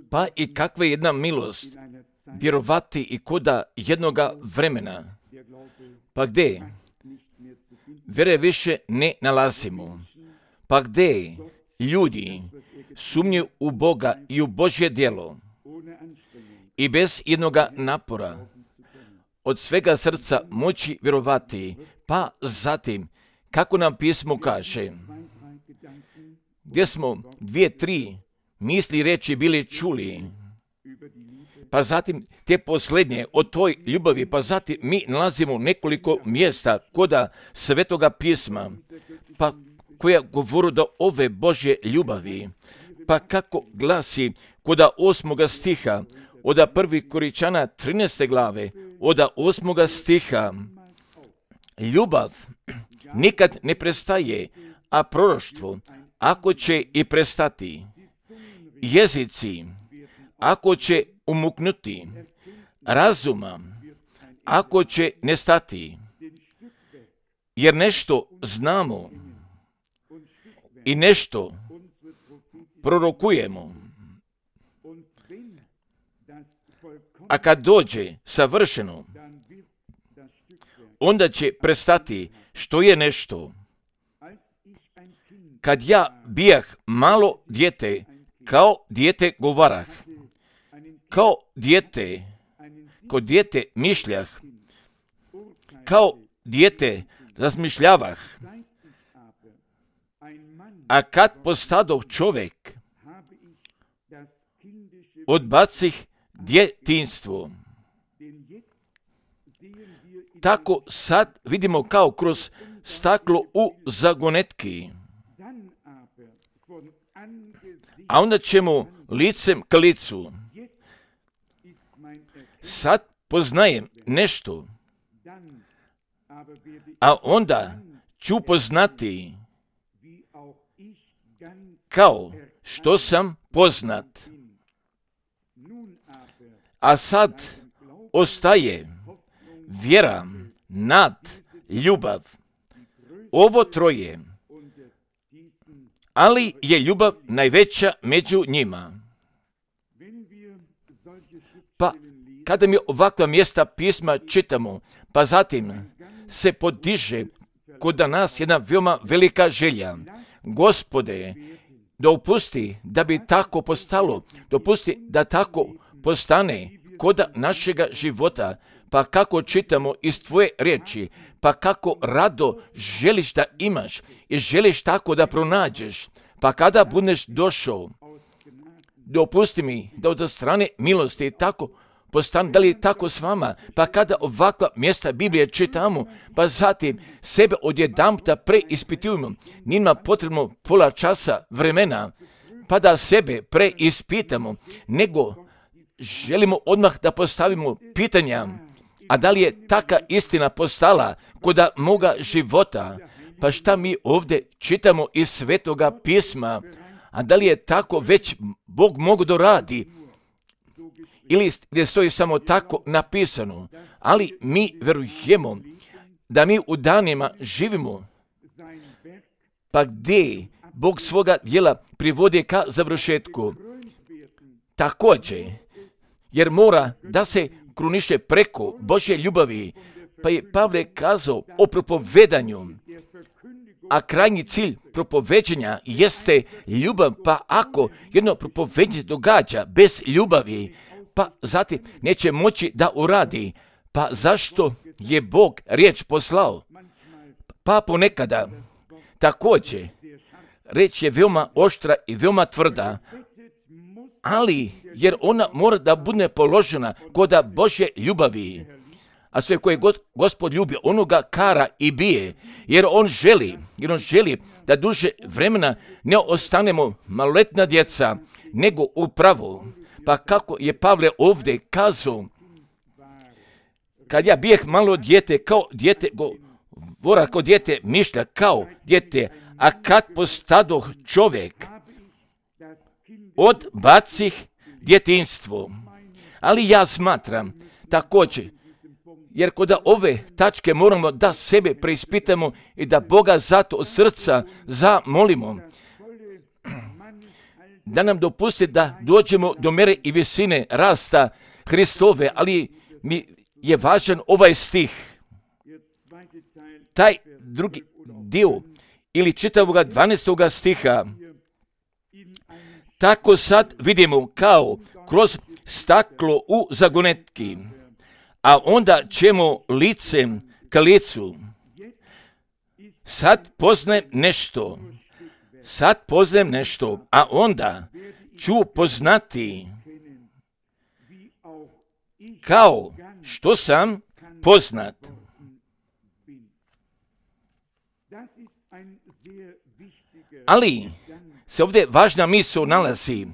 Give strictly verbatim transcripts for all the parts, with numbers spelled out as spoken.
Pa i kakva je jedna milost vjerovati i koda jednoga vremena, pa gdje vjere više ne nalazimo, pa gdje ljudi sumnju u Boga i u Božje djelo i bez jednoga napora od svega srca moći vjerovati, pa zatim, kako nam pismo kaže, gdje smo dvije, tri misli reći bili čuli, pa zatim te posljednje o toj ljubavi, pa zatim mi nalazimo nekoliko mjesta koda Svetoga pisma, pa koja govori do ove Božje ljubavi, pa kako glasi koda osmoga stiha, oda prvi Koričana trinaeste glave, oda osmoga stiha, ljubav nikad ne prestaje, a proroštvo, ako će i prestati, jezici, ako će umuknuti, razuma, ako će nestati, jer nešto znamo i nešto prorokujemo. A kad dođe savršeno, onda će prestati što je nešto. Kad ja bijah malo dijete, kao dijete govarah, kao dijete, kao dijete mišljah, kao dijete razmišljavah, a kad postadoh čovjek, odbacih djetinjstvo. Tako sad vidimo kao kroz staklo u zagonetki. A onda ćemo licem k licu. Sad poznajem nešto, a onda ću poznati kao što sam poznat. A sad ostaje vjera, nad, ljubav. Ovo troje. Ali je ljubav najveća među njima. Pa kada mi ovakva mjesta pisma čitamo, pa zatim se podiže kod nas jedna veoma velika želja. Gospode, dopusti da bi tako postalo, dopusti da tako postane koda našega života, pa kako čitamo iz tvoje riječi, pa kako rado želiš da imaš i želiš tako da pronađeš, pa kada budeš došao, dopusti mi da od strane milosti tako postane, da li je tako s vama, pa kada ovakva mjesta Biblije čitamo, pa zatim sebe odjedanputa preispitujemo, nima potrebno pola časa vremena, pa da sebe preispitamo, nego želimo odmah da postavimo pitanja, a da li je taka istina postala koda moga života, pa šta mi ovdje čitamo iz Svetoga pisma, a da li je tako već Bog mogu doradi, ili gdje stoji samo tako napisano, ali mi verujemo da mi u danima živimo, pa gdje Bog svoga djela privodi ka završetku. Također, jer mora da se kruniše preko Božje ljubavi, pa je Pavle kazao o propovedanju, a krajnji cilj propoveđenja jeste ljubav, pa ako jedno propoveđenje događa bez ljubavi, pa zatim neće moći da uradi, pa zašto je Bog riječ poslao? Pa ponekada također riječ je veoma oštra i veoma tvrda, ali jer ona mora da bude položena koda Božje ljubavi, a sve koje god Gospod ljubi, onoga kara i bije, jer on želi, jer on želi da duže vremena ne ostanemo maloletna djeca, nego upravo. Pa kako je Pavle ovdje kazao, kad ja bijeh malo dijete, kao dijete govora, kao dijete mišlja, kao dijete, a kad postadoh čovjek, odbacih djetinjstvo. Ali ja smatram također, jer kod ove tačke moramo da sebe preispitamo i da Boga zato od srca zamolimo, da nam dopusti da dođemo do mere i visine rasta Hristove, ali mi je važan ovaj stih. Taj drugi dio ili čitavoga dvanaestoga stiha. Tako sad vidimo kao kroz staklo u zagonetki, a onda ćemo licem ka licu. Sad poznajem nešto, sad poznajem nešto, a onda ću poznati kao što sam poznat. Ali se ovdje važna misao nalazi,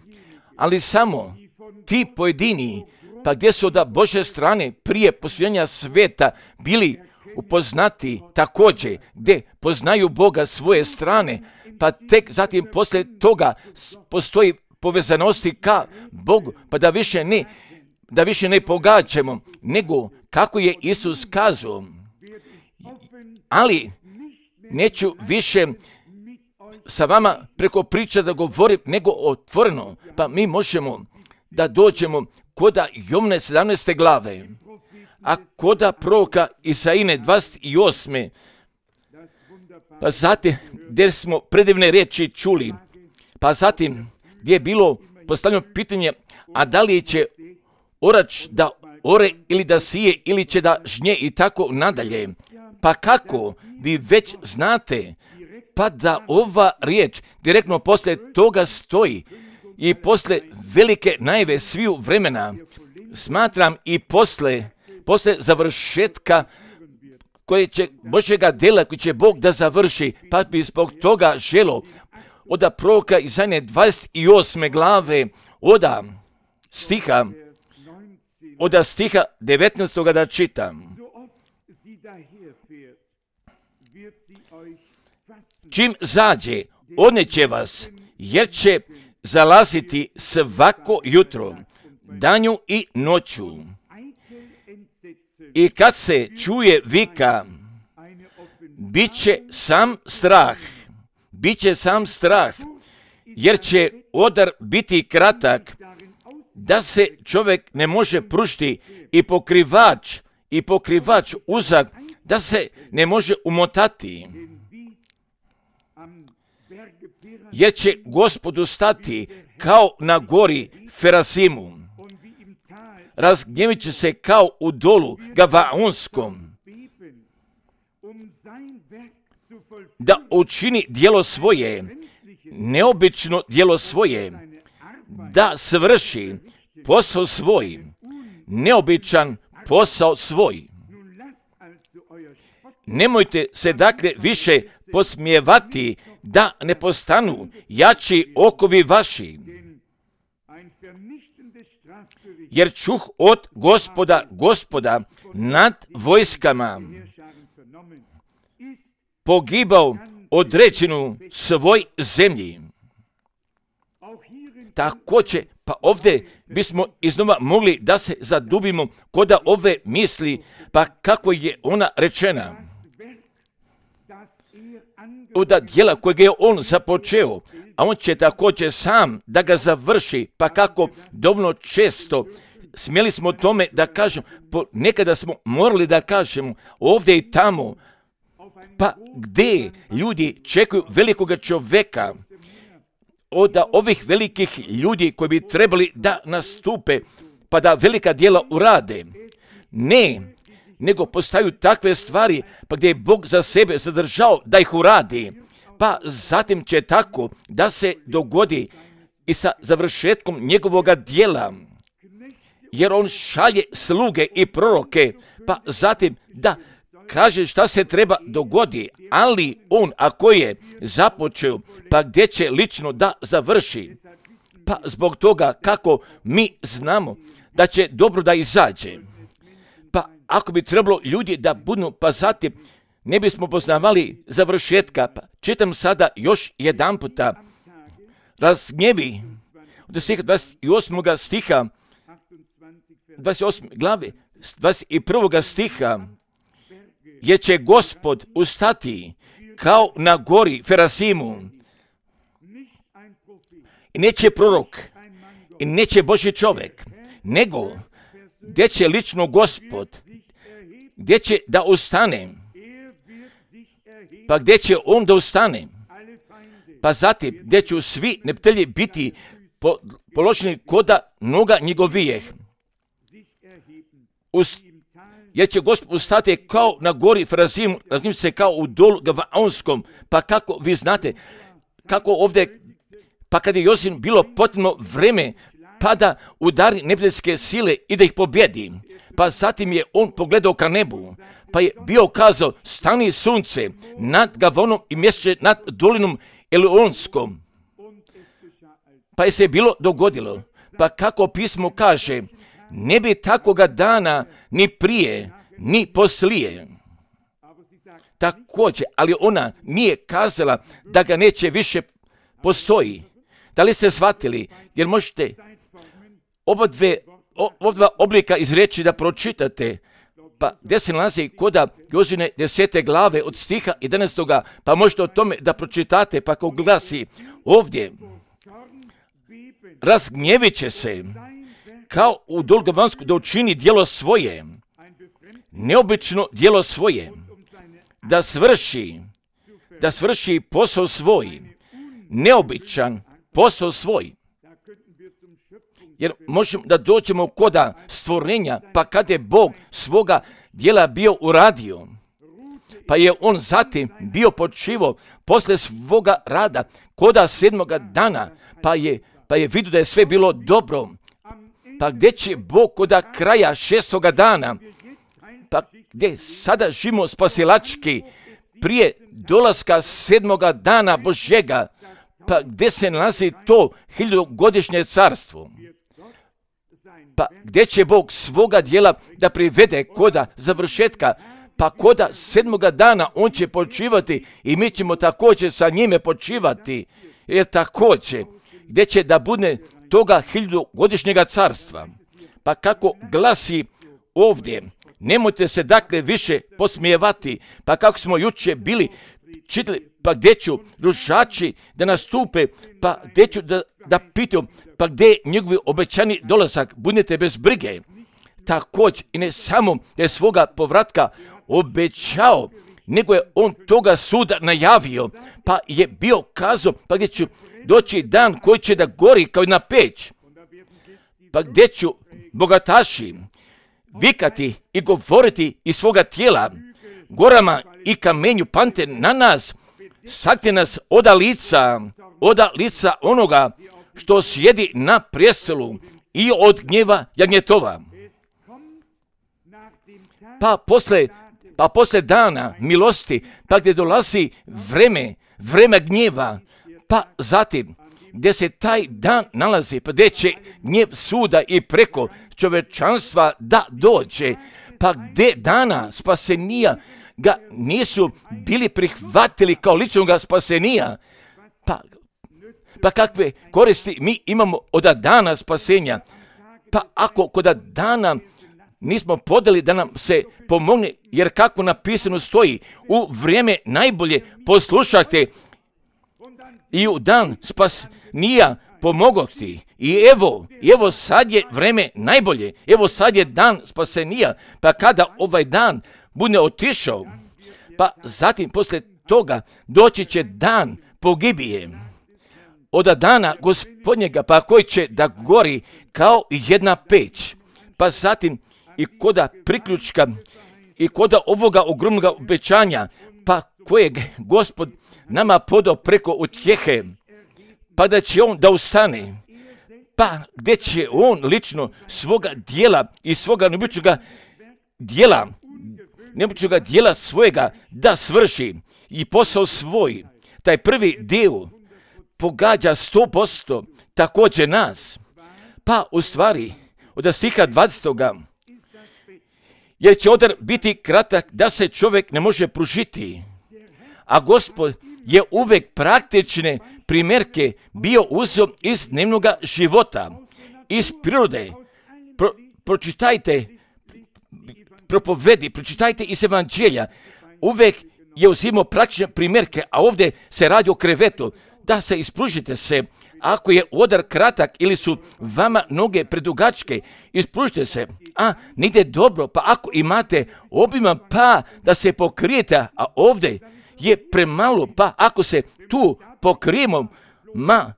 ali samo ti pojedini, pa gdje su od Božje strane prije postojanja sveta bili upoznati također, gdje poznaju Boga svoje strane, pa tek zatim poslije toga postoji povezanosti ka Bogu, pa da više ne, da više ne pogađamo, nego kako je Isus kazao. Ali neću više sa vama preko priča da govorim, nego otvoreno, pa mi možemo da dođemo koda Jovne sedamnaeste glave, a koda proroka Isaine dvadeset osme pa zatim gdje smo predivne riječi čuli, pa zatim gdje je bilo postavljeno pitanje, a da li će orač da ore ili da sije ili će da žnje i tako nadalje. Pa kako vi već znate, pa da ova riječ direktno poslije toga stoji i poslije velike najave sviju vremena, smatram i poslije, poslije završetka koje će Božjega dela, koji će Bog da završi, pa bi zbog toga želo od proroka Isaije dvadeset osme glave, od stiha, od stiha devetnaestog da čitam. Čim zađe, odneće vas, jer će zalaziti svako jutro, danju i noću. I kad se čuje vika, bit će sam strah, bit će sam strah, jer će odar biti kratak, da se čovjek ne može pružiti i pokrivač, i pokrivač uzak, da se ne može umotati. Jer će Gospodu stati kao na gori Ferasimu. Razgnjevit će se kao u dolu Gavaonskom, da učini djelo svoje, neobično djelo svoje, da svrši posao svoj, neobičan posao svoj. Nemojte se dakle više posmijevati da ne postanu jači okovi vaši. Jer čuh od Gospoda, Gospoda nad vojskama pogibao određenu svoj zemlji. Također, pa ovdje bismo iznova mogli da se zadubimo kod ove misli, pa kako je ona rečena. Od djela kojeg je on započeo, a on će također sam da ga završi, pa kako dovoljno često smjeli smo tome da kažemo, nekada smo morali da kažemo ovdje i tamo, pa gdje ljudi čekaju velikoga čovjeka, od ovih velikih ljudi koji bi trebali da nastupe, pa da velika djela urade. Ne, nego postaju takve stvari, pa gdje je Bog za sebe zadržao da ih uradi, pa zatim će tako da se dogodi i sa završetkom njegovoga djela, jer on šalje sluge i proroke, pa zatim da kaže šta se treba dogodi, ali on ako je započeo, pa gdje će lično da završi, pa zbog toga kako mi znamo da će dobro da izađe. Pa ako bi trebalo ljudi da budu, pa zatim ne bismo poznavali završetka, pa čitam sada još jedan puta, razgnjevi od stiha dvadeset osmog stiha, dvadeset osme glave, dvadeset prvog stiha, jer će Gospod ustati kao na gori Ferasimu i neće prorok, i neće Božji čovjek, nego gdje će lično Gospod, gdje će da ustane, pa gdje će on da ustane, pa zatim gdje će svi neprijatelji biti po, položeni koda noga njegovijeh. Us, jer će Gospod ustati kao na gori Frazim, raznim se kao u dolu Gavaonskom, pa kako vi znate, kako ovdje, pa kad je Josip bilo potrebno vreme, pa da udari neprijateljske sile i da ih pobjedi. Pa zatim je on pogledao ka nebu, pa je bio kazao, stani sunce nad Gavonom i mjeseče nad dolinom Elionskom. Pa je se bilo dogodilo, pa kako pismo kaže, ne bi takoga dana ni prije, ni poslije. Također, ali ona nije kazala da ga neće više postoji. Da li ste shvatili? Jer možete oba dve, oba dva oblika izreći da pročitate, pa gdje se nalazi koda Jozine desete glave od stiha jedanaestoga, pa možete o tome da pročitate, pa kako glasi ovdje, razgnjevit će se kao u Dolgavansku da učini djelo svoje, neobično djelo svoje, da svrši, da svrši posao svoj, neobičan posao svoj. Jer možemo da dođemo koda stvorenja, pa kad je Bog svoga djela bio uradio, pa je on zatim bio počivo posle svoga rada koda sedmoga dana, pa je, pa je vidio da je sve bilo dobro. Pa gdje će Bog koda kraja šestoga dana, pa gdje sada živimo spasilački prije dolaska sedmoga dana Božjega, pa gdje se nalazi to hiljadugodišnje carstvo. Pa gdje će Bog svoga djela da privede koda završetka, pa koda sedmoga dana on će počivati i mi ćemo također sa njime počivati, jer također gdje će da bude toga hiljadugodišnjega carstva. Pa kako glasi ovdje, nemojte se dakle više posmijevati, pa kako smo jučer bili čitali, pa gdje ću rušači da nastupe, pa gdje ću da, da pitaju, pa gdje je njegovi obećani dolazak, budete bez brige. Također i ne samo da je svoga povratka obećao, nego je on toga suda najavio, pa je bio kazao, pa gdje ću doći dan koji će da gori kao jedna peć, pa gdje ću bogataši vikati i govoriti iz svoga tijela, gorama i kamenju pante na nas, sakte nas oda lica, oda lica onoga što sjedi na prijestolu i od gnjeva jagnjetova. Pa posle, pa posle dana milosti, pa gdje dolazi vreme, vreme gnjeva, pa zatim gdje se taj dan nalazi, pa gdje će gnjev suda i preko čovečanstva da dođe, pa gdje dana spasenija ga nisu bili prihvatili kao ličnog spasenija, pa, pa kakve koristi mi imamo od dana spasenja, pa ako kod dana nismo podali da nam se pomogne, jer kako napisano stoji, u vrijeme najbolje poslušajte i u dan spasenija pomogao ti. I evo, evo sad je vreme najbolje, evo sad je dan spasenija, pa kada ovaj dan bude otišao, pa zatim posle toga doći će dan pogibije od dana Gospodnjega, pa koji će da gori kao jedna peć, pa zatim i koda priključka i koda ovoga ogromnog obećanja, pa kojeg Gospod nama podao preko utjehe, pa da će on da ustane, pa gdje će on lično svoga dijela i svoga neobičnoga dijela, neobičnoga dijela svojega da svrši i posao svoj. Taj prvi dio pogađa sto posto također nas, pa u stvari od stiha dvadesetoga, jer će odar biti kratak da se čovjek ne može pružiti, a Gospod je uvek praktične primjerke bio uzeo iz dnevnog života, iz prirode. Pro, pročitajte, propovedi, pročitajte iz evanđelja. Uvek je uzimao praktične primjerke, a ovdje se radi o krevetu. da se ispružite se. Ako je odar kratak ili su vama noge predugačke, ispružite se. A, ne ide dobro, pa ako imate obiman, pa da se pokrijete, a ovdje je premalo, pa ako se tu pokrijemo, ma,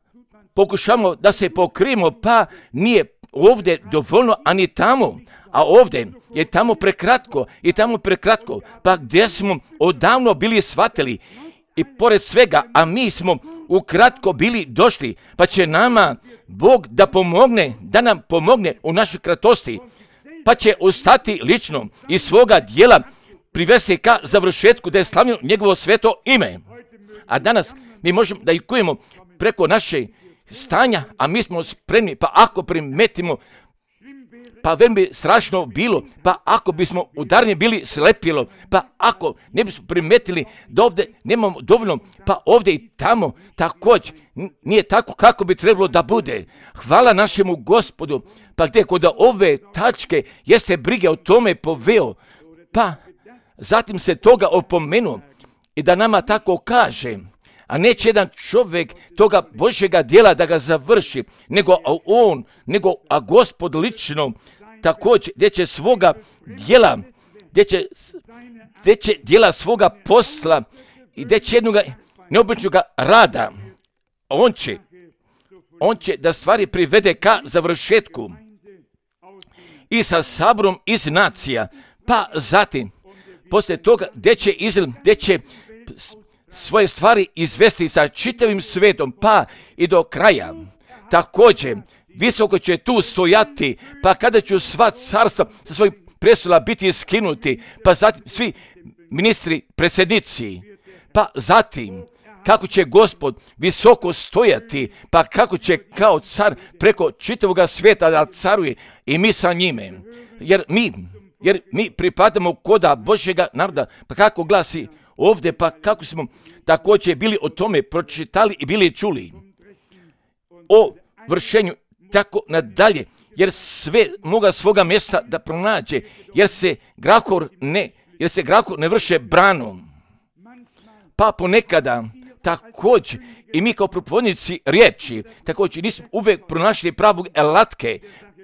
pokušamo da se pokrijemo, pa nije ovdje dovoljno, a ni tamo. A ovdje je tamo prekratko i tamo prekratko, pa gdje smo odavno bili shvatili i pored svega, a mi smo ukratko bili došli, pa će nama Bog da pomogne, da nam pomogne u našoj kratosti, pa će ostati lično iz svoga dijela privesti ka završetku da je slavljeno njegovo sveto ime. A danas mi možemo da ikujemo preko naše stanja, a mi smo spremni, pa ako primetimo, pa veoma bi strašno bilo, pa ako bismo udarni bili slepilo, pa ako ne bismo primetili da ovdje nemamo dovoljno, pa ovdje i tamo također nije tako kako bi trebalo da bude. Hvala našemu Gospodu, pa gdje kod ove tačke jeste brige o tome poveo, pa zatim se toga opomenuo i da nama tako kaže, a neće jedan čovjek toga Božjega djela da ga završi, nego on, nego a Gospod lično također gdje će svoga djela, gdje će, gdje će djela svoga posla i gdje će jednoga neobičnog rada, on će, on će da stvari privede ka završetku i sa saborom iz nacija, pa zatim poslije toga gdje će, izl, gdje će svoje stvari izvesti sa čitavim svetom, pa i do kraja. Također, visoko će tu stojati, pa kada će sva carstva sa svojih prestola biti skinuti, pa zatim svi ministri, predsjednici, pa zatim kako će Gospod visoko stojati, pa kako će kao car preko čitavog svijeta da caruje i mi sa njime. Jer mi, jer mi pripadamo koda Božjega naroda, pa kako glasi ovdje, pa kako smo također bili o tome pročitali i bili čuli o vršenju tako nadalje, jer sve moga svoga mjesta da pronađe, jer se grahor ne, jer se grahor ne vrše branom. Pa ponekada također i mi kao propovednici riječi također nismo uvijek pronašli pravu alatke,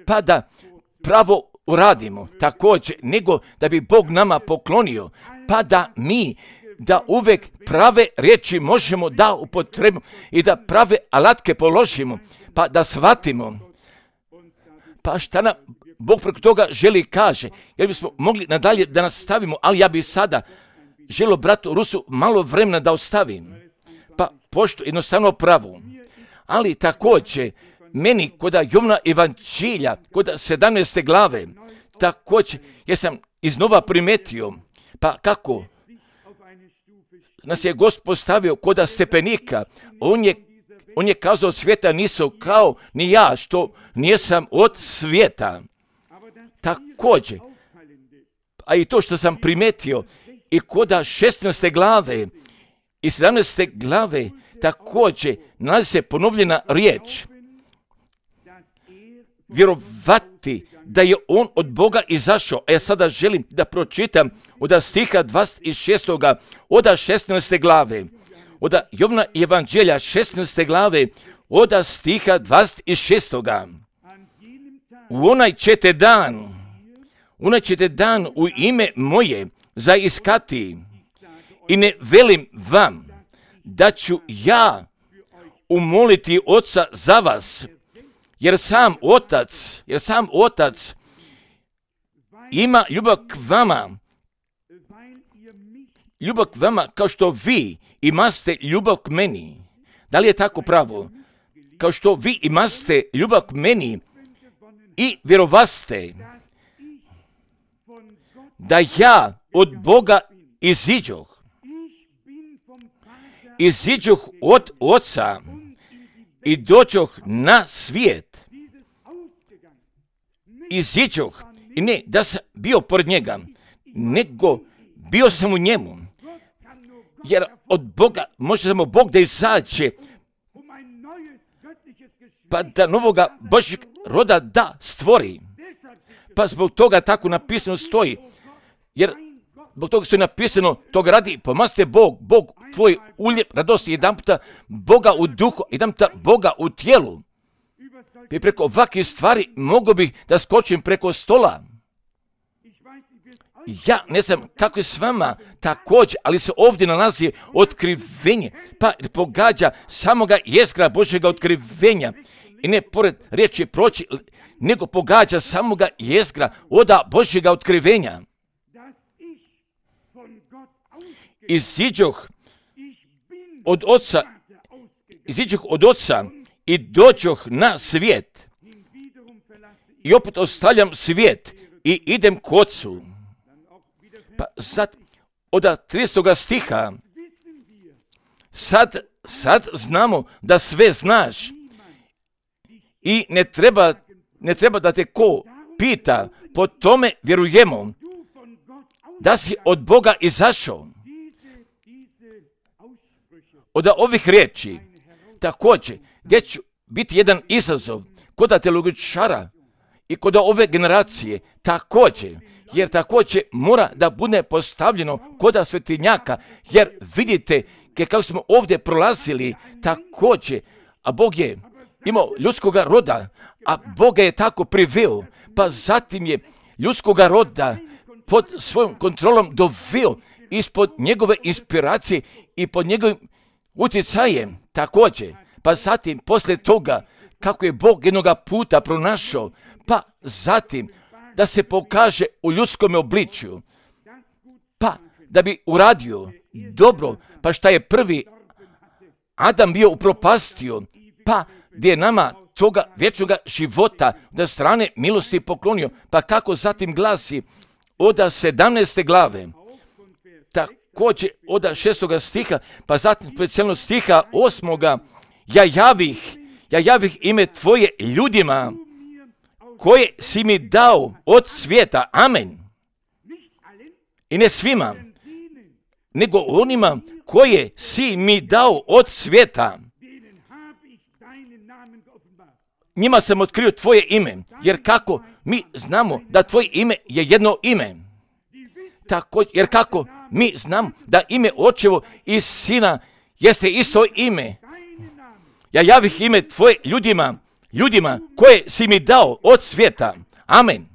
pa da pravo uradimo također, nego da bi Bog nama poklonio, pa da mi da uvijek prave riječi možemo da upotrebimo i da prave alatke položimo, pa da shvatimo. Pa šta nam Bog preko toga želi kaže, jer bismo mogli nadalje da nastavimo, ali ja bih sada želio bratu Rusu malo vremena da ostavim, pa pošto jednostavno pravo. Ali također, meni kod Jovana Evanđelja, kod sedamnaeste glave, također, jer sam iznova primetio, pa kako nas je Gospod postavio kod stepenika, on je, on je kazao svijeta nisu kao ni ja, što nisam od svijeta. Također, a i to što sam primetio, i kod šesnaeste glave i sedamnaeste glave, također nalazi se ponovljena riječ. Vjerovati da je on od Boga izašao. A ja sada želim da pročitam od stiha dvadeset šestog od šesnaeste glave. Od Jovana Evanđelja šesnaeste glave od stiha dvadeset šestog. U onaj ćete dan, onaj ćete dan u ime moje zaiskati i ne velim vam da ću ja umoliti Oca za vas, jer sam Otac, jer sam Otac ima ljubav k vama, ljubav k vama kao što vi imate ljubav k meni. Da li je tako pravo? Kao što vi imate ljubav k meni i vjerovaste da ja od Boga iziđoh, iziđoh od Oca i dođoh na svijet. Iziđoh, i ne da sam bio pored njega, nego bio sam u njemu. Jer od Boga može samo Bog da izađe, pa da novoga Božjeg roda da stvori. Pa zbog toga tako napisano stoji. Jer zbog toga što je napisano, toga radi, pomazite Bog, Bog tvoj ulje radosti, jedan puta Boga u duhu, jedan puta Boga u tijelu. I preko ovakvih stvari mogu bih da skočim preko stola. Ja ne znam kako je s vama također, ali se ovdje nalazi otkrivenje, pa pogađa samoga jezgra Božjega otkrivenja. I ne pored riječi proći, nego pogađa samoga jezgra oda Božjega otkrivenja. Iziđoh od oca, iziđoh od oca i dođoh na svijet. I opet ostavljam svijet i idem k ocu. Pa sad, od tristog stiha, sad, sad znamo da sve znaš i ne treba, ne treba da te ko pita, po tome vjerujemo da si od Boga izašao. Od ovih riječi, također, gdje će biti jedan izazov kod teologičara i kod ove generacije, također, jer također mora da bude postavljeno kod svetinjaka, jer vidite kako smo ovdje prolazili, također, a Bog je imao ljudskoga roda, a Bog je tako priveo, pa zatim je ljudskoga roda pod svojom kontrolom doveo ispod njegove inspiracije i pod njegovim utjecajem također, pa zatim poslije toga kako je Bog jednoga puta pronašao, pa zatim da se pokaže u ljudskom obličju, pa da bi uradio dobro, pa šta je prvi Adam bio upropastio, pa gdje je nama toga vječnoga života da strane milosti poklonio, pa kako zatim glasi od sedamnaeste glave, također od šestoga stiha, pa zatim specijalno stiha osmoga, ja javih, ja javih ime tvoje ljudima koje si mi dao od svijeta, amen. I ne svima, nego onima koje si mi dao od svijeta. Njima sam otkrio tvoje ime, jer kako mi znamo da tvoje ime je jedno ime. Tako, jer kako mi znamo da ime očevo i sina jeste isto ime. Ja javih ime tvoje ljudima, ljudima koje si mi dao od svijeta. Amen.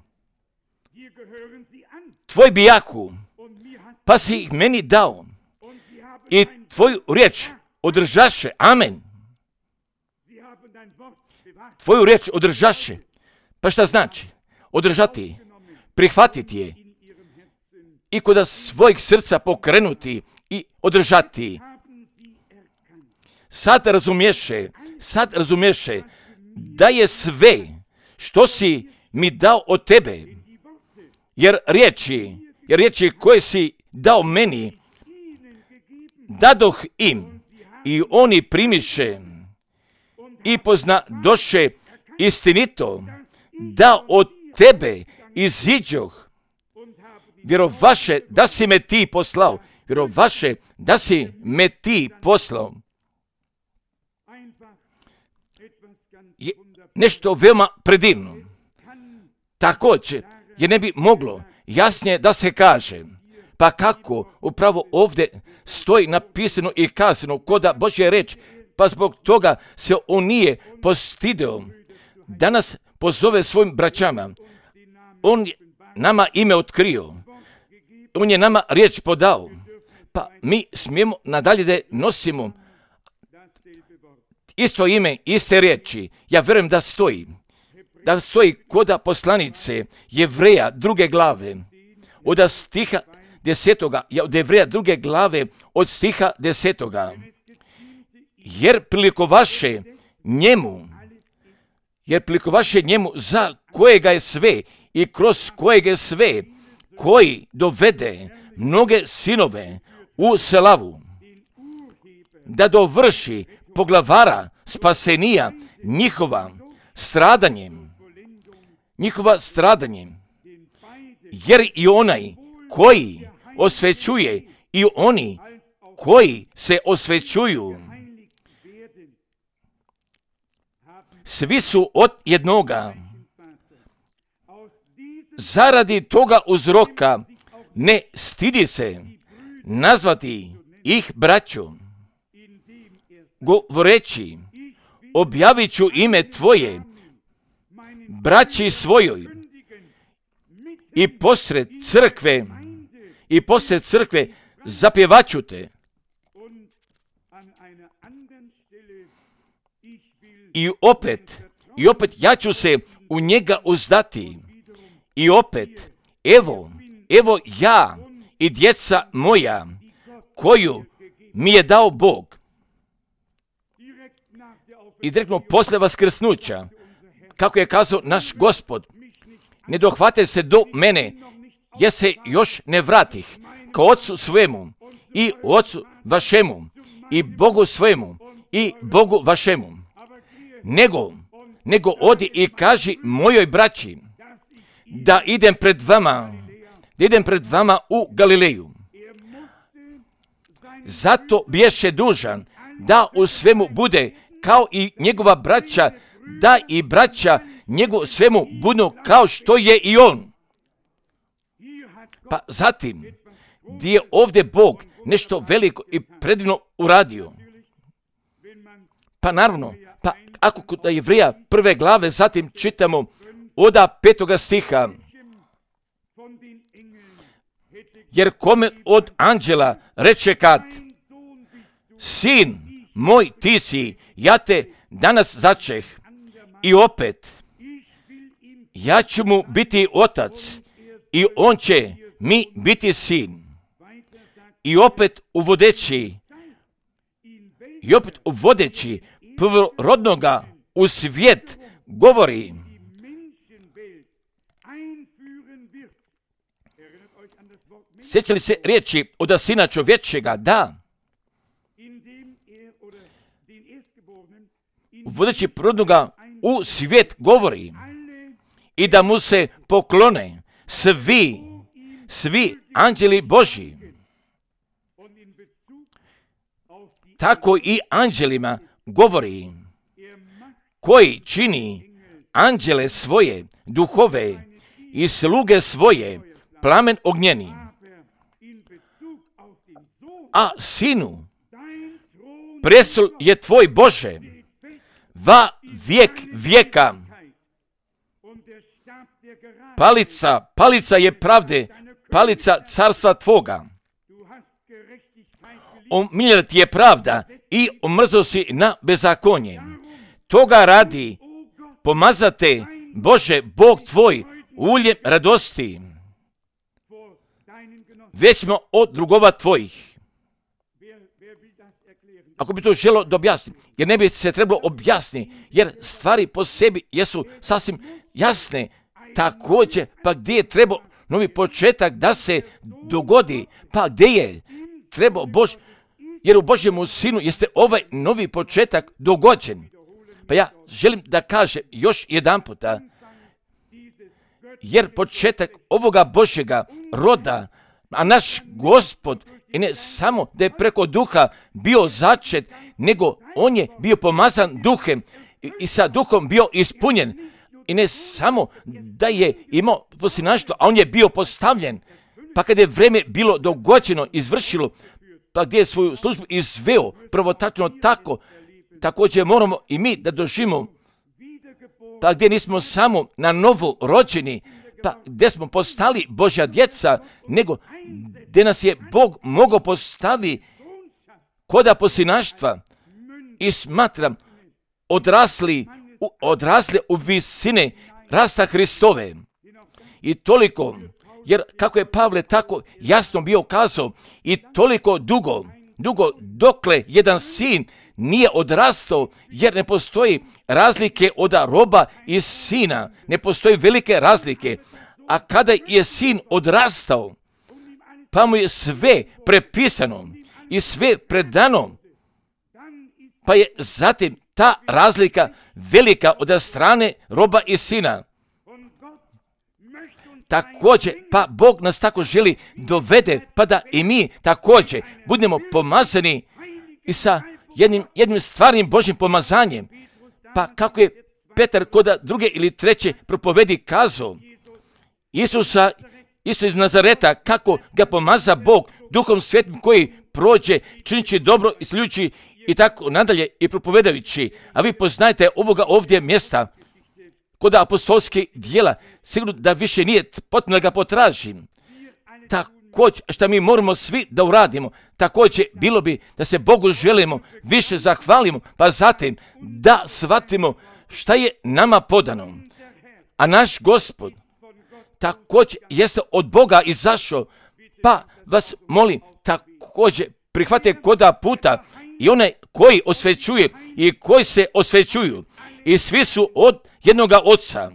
Tvoj bijaku, pa si ih meni dao i tvoju riječ održaše. Amen. Tvoju riječ održaše. Pa šta znači? Održati, prihvatiti je i kod svojih srca pokrenuti i održati. Sad razumješe, sad razumješe da je sve što si mi dao od tebe, jer riječi, jer riječi koje si dao meni, dadoh im i oni primiše i pozna doše istinito da od tebe iziđoh. Vjerovaše da si me ti poslao, vjerovaše da si me ti poslao. Je nešto veoma predivno. Također, je ne bi moglo jasnije da se kaže, pa kako upravo ovdje stoji napisano i kazano koda Božja reč, pa zbog toga se on nije postidio da nas pozove svojim braćama. On je nama ime otkrio, on je nama riječ podao, pa mi smijemo nadalje da nosimo isto ime, iste riječi. Ja vjerujem da stoji, da stoji koda poslanice Jevreja druge glave, od stiha desetoga, od Jevreja druge glave, od stiha desetoga. Jer prilikovaše njemu, jer prilikovaše njemu za kojega je sve i kroz kojega je sve, koji dovede mnoge sinove u slavu, da dovrši poglavara spasenija njihova stradanjem, njihova stradanjem, jer i onaj koji osvećuje i oni koji se osvećuju, svi su od jednoga. Zaradi toga uzroka ne stidi se nazvati ih braću, govoreći, objavit ću ime tvoje braći svojoj i posred crkve, i posred crkve zapjevaću te. I opet, i opet ja ću se u njega uzdati. I opet, evo, evo ja i djeca moja, koju mi je dao Bog. I direktno posle vaskrsnuća, kako je kazao naš Gospod, ne dohvate se do mene, jer se još ne vratih ka Otcu svemu i Otcu vašemu i Bogu svemu i Bogu vašemu. Nego, nego odi i kaži mojoj braći da idem pred vama, da idem pred vama u Galileju. Zato biješe dužan da u svemu bude kao i njegova braća, da i braća njegov svemu budu kao što je i on. Pa zatim, gdje je ovdje Bog nešto veliko i predivno uradio. Pa naravno, pa ako kod Jevreja prve glave zatim čitamo oda petoga stiha, jer kome od anđela reče kad, sin moj ti si, ja te danas začeh, i opet, ja ću mu biti otac i on će mi biti sin. I opet uvodeći, i opet uvodeći prvorodnoga u svijet govori, sjećali se riječi od sina čovječega? Da. Uvodeći prvorodnoga u svijet govori i da mu se poklone svi, svi anđeli Božji. Tako i anđelima govori, koji čini anđele svoje, duhove i sluge svoje, plamen ognjeni. A sinu, prestol je tvoj Bože, va vijek vijeka. Palica, palica je pravde, palica carstva tvoga. Omiljena ti je pravda i omrzao si na bezakonje. Toga radi, pomazate, Bože, Bog tvoj, uljem radosti. Već smo od drugova tvojih. Ako bi to želo da objasnim, jer ne bi se trebalo objasniti, jer stvari po sebi jesu sasvim jasne. Također, pa gdje je trebao novi početak da se dogodi, pa gdje je trebao Bož, jer u Božjemu sinu jeste ovaj novi početak dogođen. Pa ja želim da kažem još jedan puta, jer početak ovoga Božjega roda, a naš Gospod, i ne samo da je preko duha bio začet, nego on je bio pomazan duhem i, i sa duhom bio ispunjen. I ne samo da je imao posljednaštvo, a on je bio postavljen. Pa kada je vreme bilo dogođeno, izvršilo, pa gdje je svoju službu izveo, prvo tačno tako, također moramo i mi da doživimo, pa gdje nismo samo na novo rođeni, pa gdje smo postali Božja djeca, nego gdje nas je Bog mogao postavi koda posljednaštva i smatram odrasli, u, odrasli u visine rasta Hristove. I toliko, jer kako je Pavle tako jasno bio kazao, i toliko dugo, dugo dokle jedan sin nije odrastao, jer ne postoji razlike od roba i sina, ne postoji velike razlike. A kada je sin odrastao, pa mu je sve prepisano i sve predano, pa je zatim ta razlika velika od strane roba i sina. Također, pa Bog nas tako želi dovede, pa da i mi također budemo pomazani i sa jednim, jednim stvarnim Božjim pomazanjem. Pa kako je Petar kod druge ili treće propovedi kazao, Isusa Isus iz Nazareta, kako ga pomaza Bog Duhom Svetim koji prođe, činići dobro, isceljujući i tako nadalje i propovedajući. A vi poznajete ovoga ovdje mjesta kod apostolskih djela, sigurno da više nije potrebno da ga potražim. Također, što mi moramo svi da uradimo, također bilo bi da se Bogu želimo, više zahvalimo, pa zatim da shvatimo šta je nama podano. A naš Gospod također jeste od Boga izašao, pa vas molim, također prihvate koda puta i one koji osvećuje i koji se osvećuju. I svi su od jednoga oca,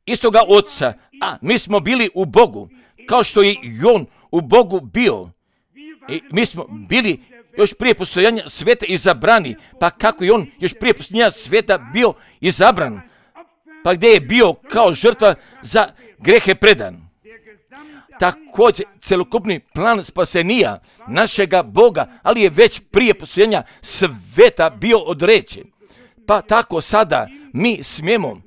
istoga oca, a mi smo bili u Bogu, kao što je i on u Bogu bio. I mi smo bili još prije postojanja sveta izabrani, pa kako je on još prije postojanja sveta bio izabran, pa gdje je bio kao žrtva za grehe predan. Također, celokupni plan spasenija našega Boga, ali je već prije postojanja sveta bio određen. Pa tako sada mi smijemo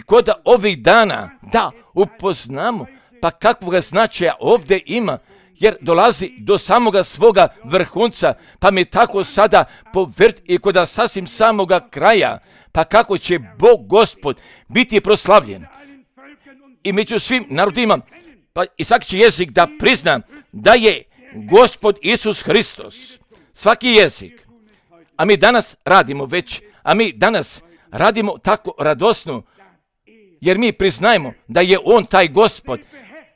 kod ovih dana da upoznamo pa kakvoga značaja ovdje ima, jer dolazi do samoga svoga vrhunca, pa mi tako sada povrti i kod sasvim samoga kraja, pa kako će Bog Gospod biti proslavljen. I među svim narodima, pa i svaki će jezik da prizna da je Gospod Isus Hristos. Svaki jezik. A mi danas radimo već, a mi danas radimo tako radosno, jer mi priznajemo da je On taj Gospod,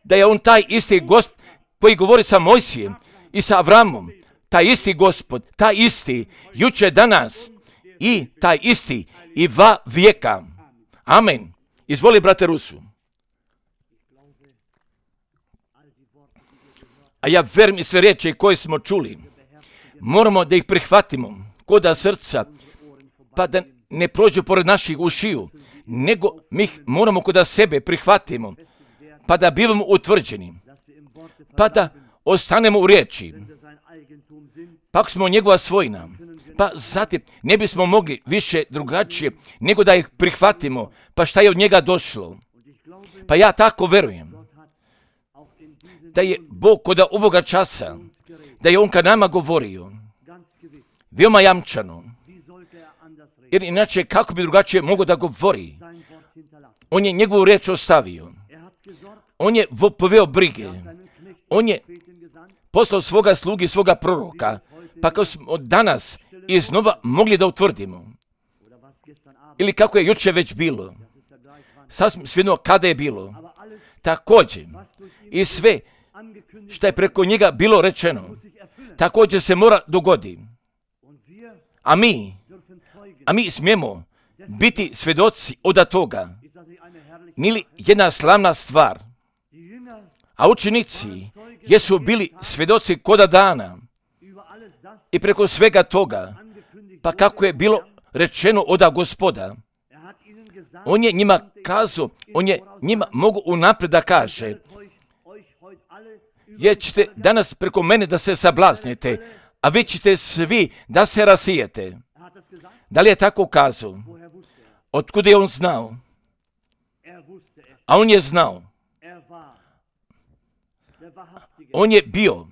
da je On taj isti Gospod koji govori sa Mojsijem i sa Avramom, taj isti Gospod, taj isti, juče, danas i taj isti i va vijeka. Amen. Izvoli, brate Rusu. A ja verujem i sve riječi koje smo čuli, moramo da ih prihvatimo koda srca, pa da ne prođu pored naših ušiju, nego mi ih moramo koda sebe prihvatimo, pa da bivamo utvrđeni, pa da ostanemo u riječi, pa ako smo njegova svojina, pa zatim ne bismo mogli više drugačije, nego da ih prihvatimo, pa šta je od njega došlo. Pa ja tako verujem da je Bog kod ovoga časa, da je On kad nama govorio, veoma jamčano, jer inače kako bi drugačije mogao da govori. On je njegovu riječ ostavio, on je poveo brige, on je poslao svoga slugi, svoga proroka, pa kao smo danas iznova mogli da utvrdimo, ili kako je juče već bilo, sasvim svejedno kada je bilo, također i sve što je preko njega bilo rečeno, također se mora dogoditi. A mi, a mi smijemo biti svjedoci od toga. Nije li jedna slavna stvar? A učenici jesu bili svjedoci koda dana i preko svega toga, pa kako je bilo rečeno od Gospoda. On je njima kazao, on je njima mogu unaprijed da kaže, jer ćete danas preko mene da se sablaznite, a vi ćete svi da se rasijete. Da li je tako kazao? Otkud je on znao? A on je znao. On je bio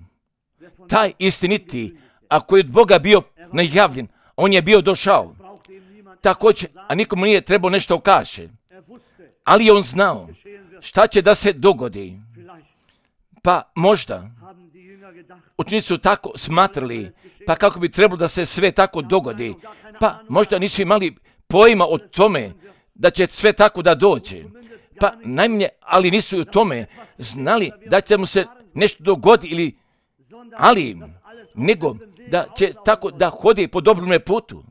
taj istiniti, a koji od Boga bio najavljen, on je bio došao. Također, a nikomu nije trebao nešto kaže. Ali je on znao šta će da se dogodi. Pa možda učenici su tako smatrali, pa kako bi trebalo da se sve tako dogodi, pa možda nisu imali pojma o tome da će sve tako da dođe. Pa najmanje, ali nisu u tome znali da će mu se nešto dogoditi, ili, ali nego da će tako da hodi po dobrome putu.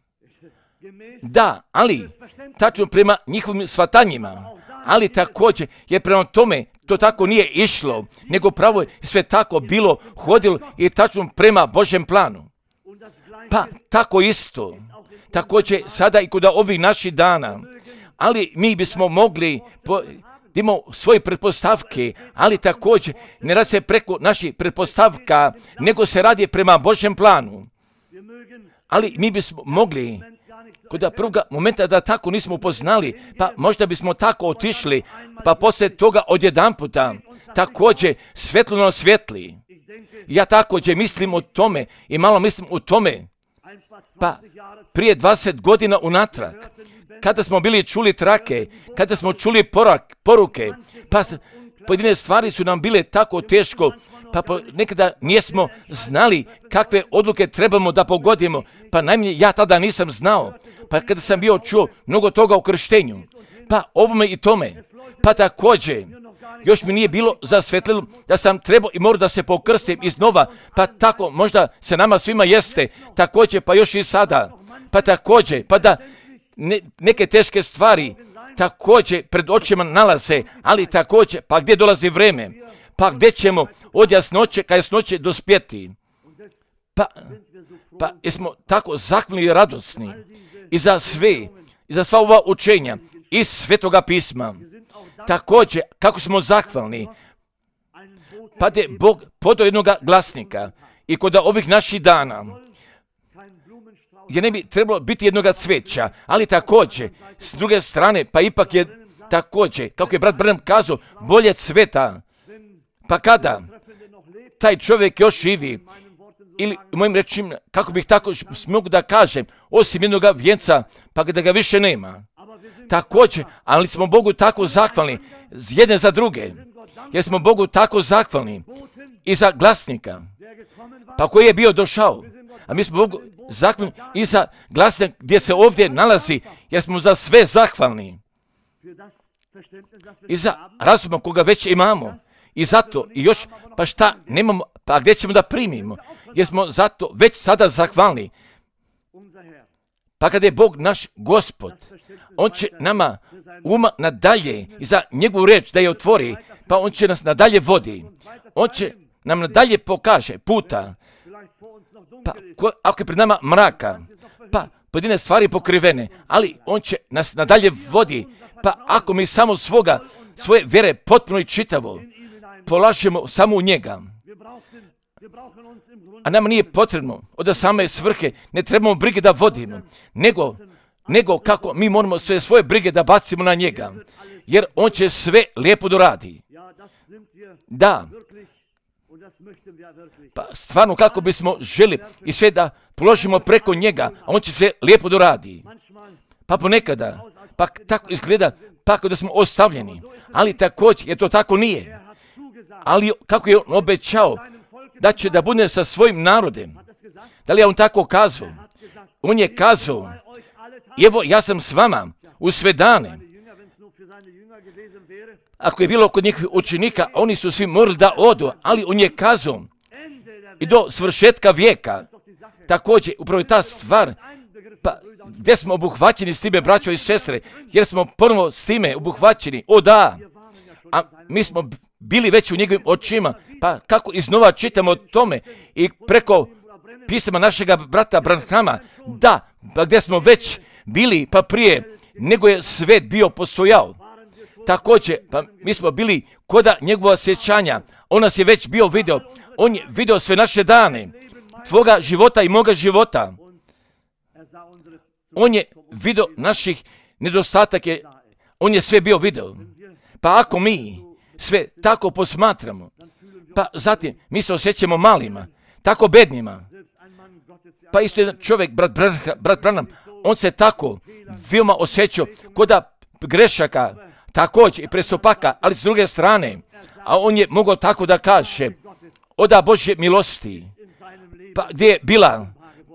Da, ali tačno prema njihovim shvatanjima, ali također je prema tome to tako nije išlo, nego pravo je sve tako bilo, hodilo i tačno prema Božjem planu. Pa tako isto, također sada i kod ovih naših dana, ali mi bismo mogli po, imamo svoje pretpostavke, ali također ne radi se preko naših pretpostavka, nego se radi prema Božjem planu. Ali mi bismo mogli kod prvoga momenta da tako nismo upoznali, pa možda bismo tako otišli, pa poslije toga odjedanputa također svjetlo na svjetli. Ja također mislim o tome i malo mislim o tome. Pa prije dvadeset godina unatrag, kada smo bili čuli trake, kada smo čuli porak, poruke, pa pojedine stvari su nam bile tako teško, pa nekada nismo znali kakve odluke trebamo da pogodimo, pa najmanje ja tada nisam znao, pa kada sam bio čuo mnogo toga o krštenju, pa ovome i tome, pa također, još mi nije bilo zasvetljeno da sam trebao i morao da se pokrstim iznova, pa tako možda se nama svima jeste, također pa još i sada, pa također, pa da ne, neke teške stvari također pred očima nalaze, ali također, pa gdje dolazi vreme, pa gdje ćemo od jasnoće ka jasnoće dospjeti. Pa, pa jesmo tako zahvalni i radosni i za sve, i za sva ova učenja iz Svetoga pisma. Također, kako smo zahvalni, pa je Bog podao jednog glasnika i kod ovih naših dana, gdje ne bi trebalo biti jednog cveća, ali također, s druge strane, pa ipak je također, kako je brat Branham kazao, bolje cveta. Pa kada taj čovjek još živi, ili u mojim rečima, kako bih tako mogu da kažem, osim jednog vijenca, pa da ga više nema. Također, ali smo Bogu tako zahvalni jedne za druge, jer smo Bogu tako zahvalni i za glasnika, pa koji je bio došao, a mi smo Bogu zahvalni i za glasnika gdje se ovdje nalazi, jer smo za sve zahvalni i za razuma koga već imamo. I zato, i još, pa šta nemamo, pa gdje ćemo da primimo, jer smo zato već sada zahvalni. Pa kada je Bog naš Gospod, On će nama uma nadalje i za njegovu reč da je otvori, pa On će nas nadalje vodi. On će nam nadalje pokaže puta, pa ko, ako je pred nama mraka, pa pojedine stvari pokrivene, ali On će nas nadalje vodi, pa ako mi samo svoga, svoje vjere potpuno i čitavo polažemo samo u njega. A nama nije potrebno od same svrhe, ne trebamo brige da vodimo, nego, nego kako mi moramo sve svoje brige da bacimo na njega, jer on će sve lijepo doradi. Da, pa stvarno kako bismo želi i sve da položimo preko njega, a on će sve lijepo doradi. Pa ponekada, pa tako izgleda, pa da smo ostavljeni, ali također, jer to tako nije. Ali kako je on obećao da će da bude sa svojim narodem. Da li je on tako kazao? On je kazao, evo ja sam s vama u sve dane. Ako je bilo kod njih učenika, oni su svi morali da odu, ali on je kazao i do svršetka vijeka. Također, upravo je ta stvar, pa gdje smo obuhvaćeni s time, braćo i sestre, jer smo ponovo s time obuhvaćeni, o da, a mi smo bili već u njegovim očima, pa kako iznova čitamo o tome i preko pisama našega brata Branhama, da, pa gdje smo već bili, pa prije nego je svet bio postojao. Također, pa mi smo bili koda njegova sjećanja, on nas je već bio video, on je video sve naše dane, tvoga života i moga života. On je video naših nedostataka, on je sve bio video. Pa ako mi sve tako posmatramo, pa zatim mi se osjećamo malima, tako bednima. Pa isto jedan čovjek, brat, brat Branham, on se tako veoma osjećao koda grešaka, također i prestupaka, ali s druge strane, a on je mogao tako da kaže, oda Božje milosti, pa gdje je bila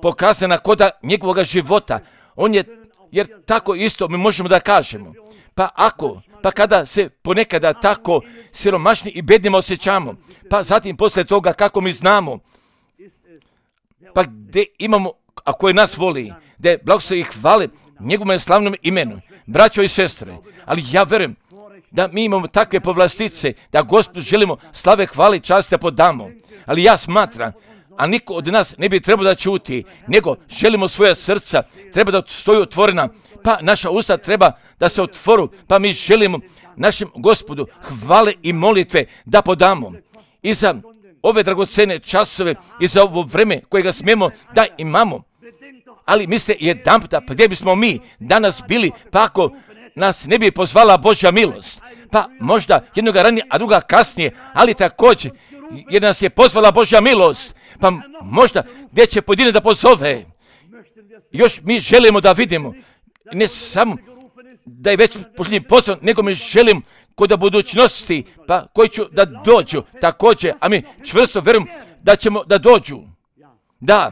pokazana koda njegovog života, on je, jer tako isto mi možemo da kažemo, pa ako, pa kada se ponekada tako siromašni i bednima osjećamo, pa zatim posle toga kako mi znamo, pa gdje imamo, a koji nas voli, da je blagoslovi i hvale njegovom slavnom imenu, braćo i sestre, ali ja verujem da mi imamo takve povlastice, da Gospodu želimo slave, hvale i časti da podamo, ali ja smatram, a niko od nas ne bi trebao da ćuti, nego želimo svoja srca, treba da stoji otvorena, pa naša usta treba da se otvoru, pa mi želimo našem Gospodu hvale i molitve da podamo. I za ove dragocene časove i za ovo vreme kojega smijemo da imamo, ali mislite jedan puta, pa gdje bismo mi danas bili, pa ako nas ne bi pozvala Božja milost, pa možda jednoga ranije, a druga kasnije, ali također, jer nas je pozvala Božja milost, pa možda gdje će pojedine da pozove. Još mi želimo da vidimo, ne samo da je već posljednji posao, nego mi želim kod da budućnosti, pa koji ću da dođu također, a mi čvrsto vjerujem da ćemo da dođu. Da,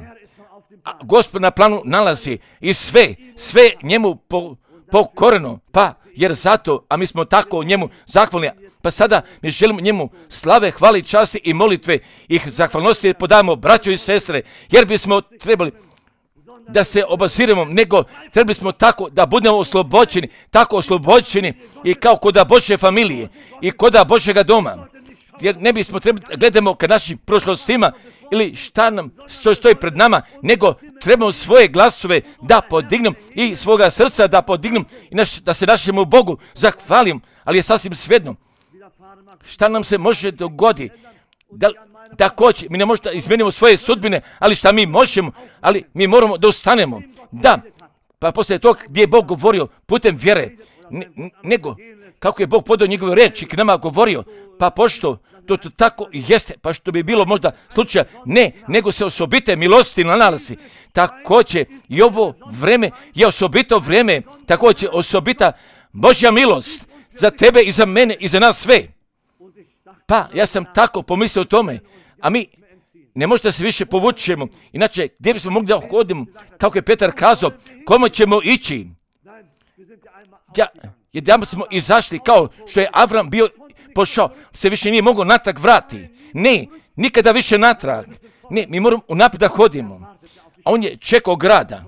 a Gospod na planu nalazi i sve, sve njemu po, pokoreno, pa jer zato, a mi smo tako njemu zahvalni, pa sada mi želimo njemu slave, hvali, časti i molitve i zahvalnosti podajemo braćo i sestre, jer bismo trebali da se obaziremo, nego trebali smo tako da budemo oslobođeni, tako oslobođeni i kao koda Božje familije i koda Božjega doma. Jer ne bismo trebali gledamo ka našim prošlostima ili šta nam što stoji pred nama, nego trebamo svoje glasove da podignem i svoga srca da podignem i naš, da se našemu Bogu zahvalim, ali je sasvim svejedno šta nam se može dogoditi. Da, također, mi ne možemo da izmenimo svoje sudbine, ali šta mi možemo, ali mi moramo da ustanemo. Da, pa poslije toga gdje je Bog govorio putem vjere, ne, nego kako je Bog podao njegove riječi k nama govorio, pa pošto to, to tako jeste, pa što bi bilo možda slučaja, ne, nego se osobite milosti nalazi. Također i ovo vreme je osobito vreme, također osobita Božja milost za tebe i za mene i za nas sve. Pa ja sam tako pomislio o tome, a mi ne možda se više povučemo, inače gdje bismo mogli da hodimo, kako je Petar kazao, kome ćemo ići? Ja, jedan smo izašli kao što je Avram bio pošao, se više nije mogao natrag vrati. Ne, nikada više natrag. Ne, mi moramo unaprijed da hodimo. A on je čekao grada,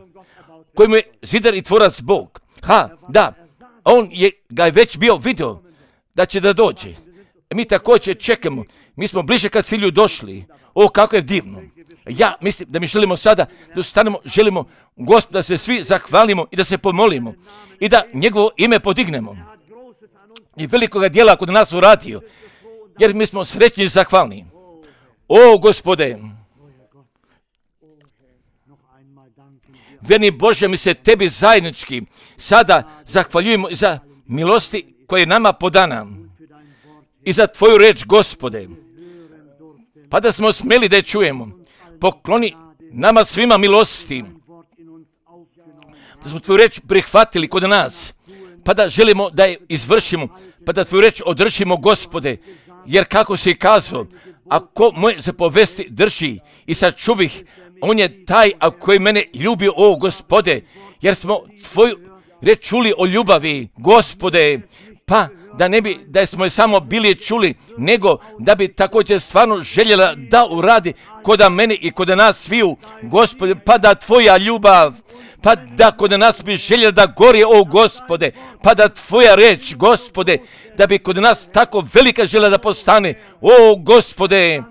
kojemu je zidar i tvorac Bog. Ha, da, on je ga je već bio vidio da će da dođe. Mi također čekamo, mi smo bliže kad cilju došli. O, kako je divno. Ja mislim da mi želimo sada da stanemo, želimo Gospoda da se svi zahvalimo i da se pomolimo i da njegovo ime podignemo. I velikoga djela kod nas uradio, jer mi smo srećni i zahvalni. O, Gospode, vjerni Bože, mi se tebi zajednički sada zahvaljujemo za milosti koje je nama podana i za tvoju reč, Gospode. Pa da smo smeli da je čujemo. Pokloni nama svima milosti. Da smo tvoju reč prihvatili kod nas. Pa da želimo da je izvršimo. Pa da tvoju reč održimo, Gospode. Jer kako si kazao, ako moje zapovesti drži i sačuvih, on je taj a koji mene ljubio, o Gospode. Jer smo tvoju reč čuli o ljubavi, Gospode. Pa da ne bi, da smo je samo bili čuli, nego da bi također stvarno željela da uradi koda mene i koda nas sviju, Gospode, pa da tvoja ljubav, pa da kod nas bi željela da gori, o Gospode, pa da tvoja reč, Gospode, da bi kod nas tako velika željela da postane, o Gospode,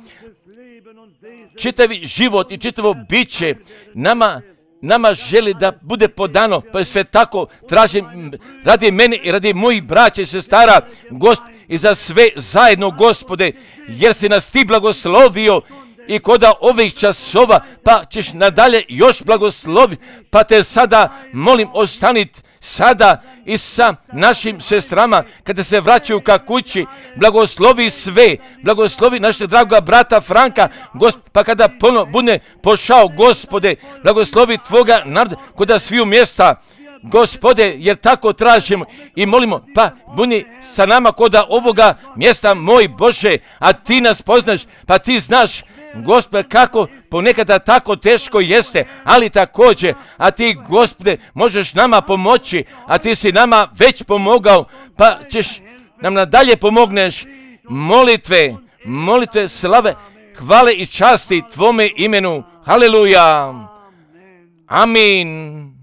čitavi život i čitavo biće nama Nama želi da bude podano, pa je sve tako tražim radi mene i radi mojih braća i sestara, Gospod, i za sve zajedno, Gospode, jer si nas ti blagoslovio i koda ovih časova, pa ćeš nadalje još blagosloviti, pa te sada molim ostaniti sada i sa našim sestrama kada se vraćaju ka kući, blagoslovi sve, blagoslovi našeg dragoga brata Franka, Gosp, pa kada ponovno bude pošao, Gospode, blagoslovi tvoga naroda koda sviju mjesta, Gospode, jer tako tražimo i molimo, pa budi sa nama koda ovoga mjesta, moj Bože, a ti nas poznaš, pa ti znaš, Gospode, kako ponekada tako teško jeste, ali također, a ti, Gospode, možeš nama pomoći, a ti si nama već pomogao, pa ćeš nam nadalje pomogneš. Molitve, molitve, slave, hvale i časti tvome imenu. Haleluja. Amin.